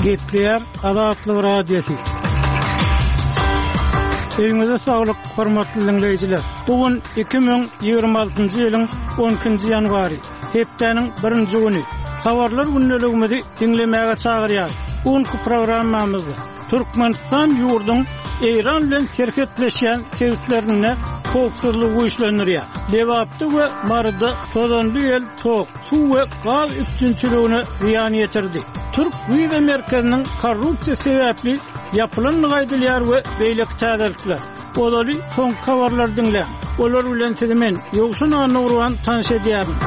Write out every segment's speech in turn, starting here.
Gepleýär Azatlyk Radiosy. Öýüňize saglyk, hormatly diňleýjiler. Bu gün 2026-njy ýylyň 12-nji ýanwary, hepdäniň birinji güni. Habarlar gündeligimizi diňlemäge çagyrýarys. Bu günki programmamyzda Türkmenistan ýurduň Eýran bilen serhetleşýän sebitlerinde howpsuzlygy güýçlendirýär. Lebapda we Maryda tozanly ýel tok, suw we gaz üpjünçiligine zyýan ýetirdi. Türk wiza merkeziniň korrupsiýa sebäpli ýapylandygy aýdylýar we beýleki täzelikler. Ozaly soňky habarlary diňläň. Olar bilen sizi men, Ýowşan Annagurban tanyş edýärin.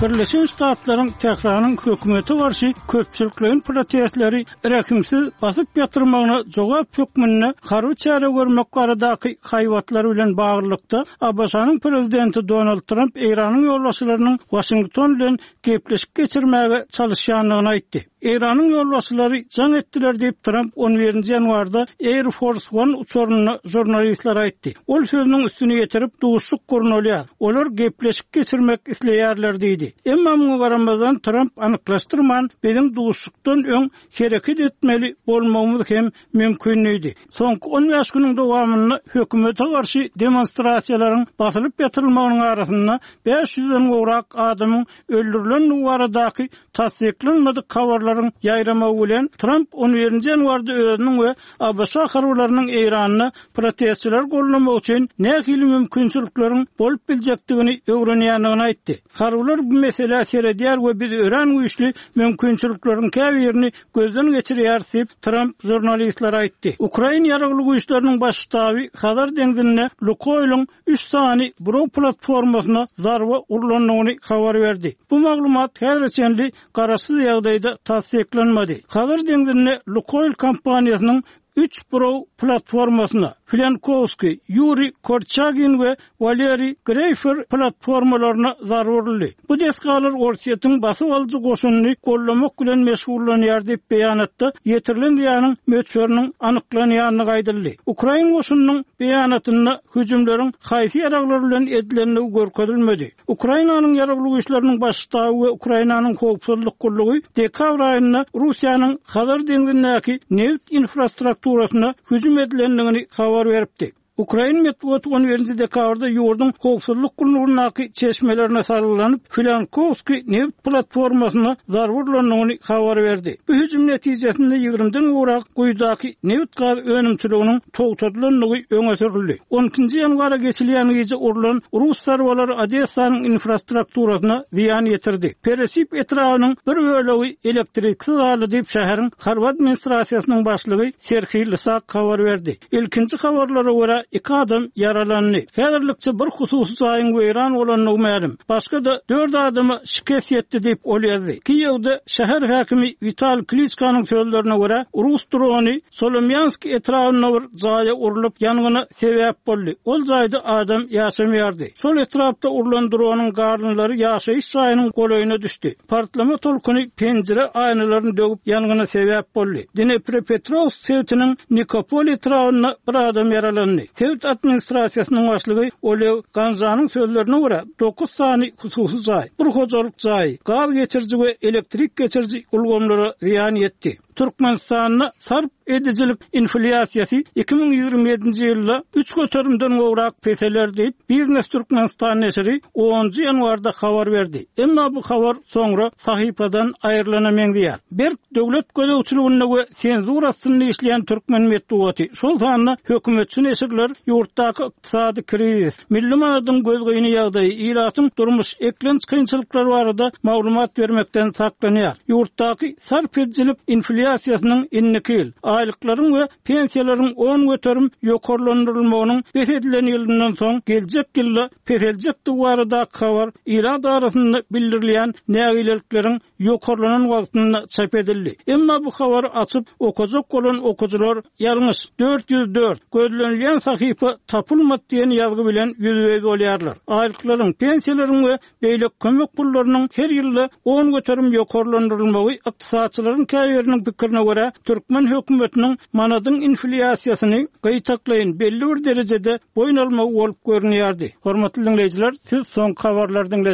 Birleşen Ştatlaryň Tähranyň hökümete garşy köpçülikleýin protestleri rehimsiz basyp ýatyrmagyna jogap hökmünde harby çäre görmek baradaky haýbatlary bilen baglylykda, ABŞ-nyň prezidenti Donald Tramp Eýranyň ýolbaşçylarynyň Waşington bilen gepleşik geçirmäge çalyşýandygyny aýtdy. Eýranyň ýolbaşçylary jaň etdiler diýip, Tramp on birinji ýanwarda Air Force One uçarynda žurnalistlere aýtdy. Ol sözüniň üstüni ýetirip, duşuşyk gurnalýar. Olar gepleşik geçirmek isleýärler diýdi. Emma muňa garamazdan, Tramp anyklaşdyrman, biziň duşuşykdan öň hereket etmeli bolmagymyz hem mümkin diýdi. Soňky on bäş günüň dowamynda hökümete garşy demonstrasiýalaryň basylyp ýatyrylmagynyň arasynda bäş ýüzden gowrak adamyň öldürilendigi baradaky tassyklanmadyk habarlaryň ýaýramagy bilen, Tramp on birinji ýanwarda özüniň we ABŞ harbylarynyň Eýranda protestçileri goldamak üçin nähili mümkinçilikleriň bolup biljekdigini öwrenýändigini aýtdy. Harbylar bu meselä seredýär we biz örän güýçli mümkinçilikleriň käbirini gözden geçirýäris diýip, Tramp žurnalistlere aýtdy. Ukrain Ýaragly Güýçleriniň Baş ştaby Hazar deňzinde Lukoýlyň üç sany buraw platformasyna zarba urlandygyny habar berdi. Bu maglumat häzire çenli garaşsyz ýagdaýda tassyklanmady. Hazar deňzinde Lukoýl kompaniýasynyň üç buraw platformasyna, Filenkowskiý, Ýuriý Korçagin we Waleriý Greýfer platformalaryna zarba uruldy. Bu desgalar Orsýetiň basyp alyjy goşunyny goldamak bilen meşgullanýar diýip, beýanatda ýetirilen zyýanyň möçberiniň anyklanýandygy aýdyldy. Ukrain goşunynyň beýanatynda hüjümleriň haýsy ýaraglar bilen edilendigi görkezilmedi. Ukrainanyň Ýaragly Güýçleriniň Baş ştaby we Ukrainanyň Howpsuzlyk gullugy dekabr aýynda Russiýanyň Hazar deňzindäki nebit infrastrukturasyna hüjüm edilendigini habar beripdi. Ukrain metbugaty on birinji dekabrda ýurduň howpsuzlyk gullugyndaky çeşmelerine salgylanyp, Filankowskiý nebit platformasyna zarba urlandygyny habar berdi. Bu hüjüm netijesinde ýigrimiden gowrak guýudaky nebit-gaz önümçiliginiň togtadylandygy öňe sürüldi. On ikinji ýanwara geçilýän gije urlan rus zarbalary Odessanyň infrastrukturasyna zyýan ýetirdi. Peresip etrabynyň bir bölegi elektriksiz galdy diýip, şäheriň harby administrasiýasynyň başlygy Serhiý Lysak habar berdi. Ilkinji habarlara görä, iki adam ýaralandy. Häzirlikçe bir hususy jaýyň weýran bolandygy mälim. Başga-da dört adama şikes ýetdi diýip, ol ýazdy. Kiýewde şäher häkimi Witali Kliçkanyň sözlerine görä, rus drony Solomýansk etrabynda bir jaýa urlup, ýangyna sebäp boldy. Ol jaýda adam ýaşamaýardy. Şol etrapda urlan dronyň galyndylary ýaşaýyş jaýynyň golaýyna düşdi. Partlama tolkuny penjire aýnalaryny döwüp, ýangyna sebäp boldy. Dneprepetrowsk sebitiniň Nikopol etrabynda bir adam ýaralandy. Sebit administrasiýasynyň başlygy Oleg Ganžanyň sözlerine görä, dokuz sany hususy jaý, bir hojalyk jaýy, gaz geçiriji we elektrik geçiriji ulgamlara zyýan ýetdi. Türkmenistanda sarp edijilik inflýasiýasy 2027-nji ýylda üç göterimden gowrak peseler diýip, Biznes Türkmenistan neşiri onunjy ýanwarda habar berdi. Emma bu habar soňra sahypadan aýrylana meňzeýär. Berk döwlet gözegçiliginde we senzura astynda işleýän türkmen metbugaty, şol sanda hökümetçi neşirler ýurtdaky ykdysady krizis, milli manadyň gözgyny ýagdaýy, ilatyň durmuş-eklenç kynçylyklary barada maglumat bermekden saklanýar. Ýurtdaky sarp edijilik inflýasiýasynyň indiki ýyl, aýlyklaryň we pensiýalaryň 10% ýokarlandyrylmagynyň bes edilen ýylyndan soň geljek ýylda peseljekdigi baradaky habar ilat arasynda bildirilýän nägilelikleriň ýokarlanan wagtynda çap edildi. Emma bu habary açyp okajak bolan okyjylar Ýalňyş, 404, gözlenilýän sahypa tapylmady diýen ýazgy bilen ýüzbe-ýüz bolýarlar. Aýlyklaryň, pensiýalaryň we beýleki kömek pullarynyň her ýylda 10% ýokarlandyrylmagy ykdysatçylaryň käbiriniň pikirine görä, türkmen hökümetiniň manadyň inflýasiýasyny gytaklaýyn belli bir derejede boýun almagy bolup görünýärdi. Hormatly diňleýjiler, siz soňky habarlary diňlediňiz.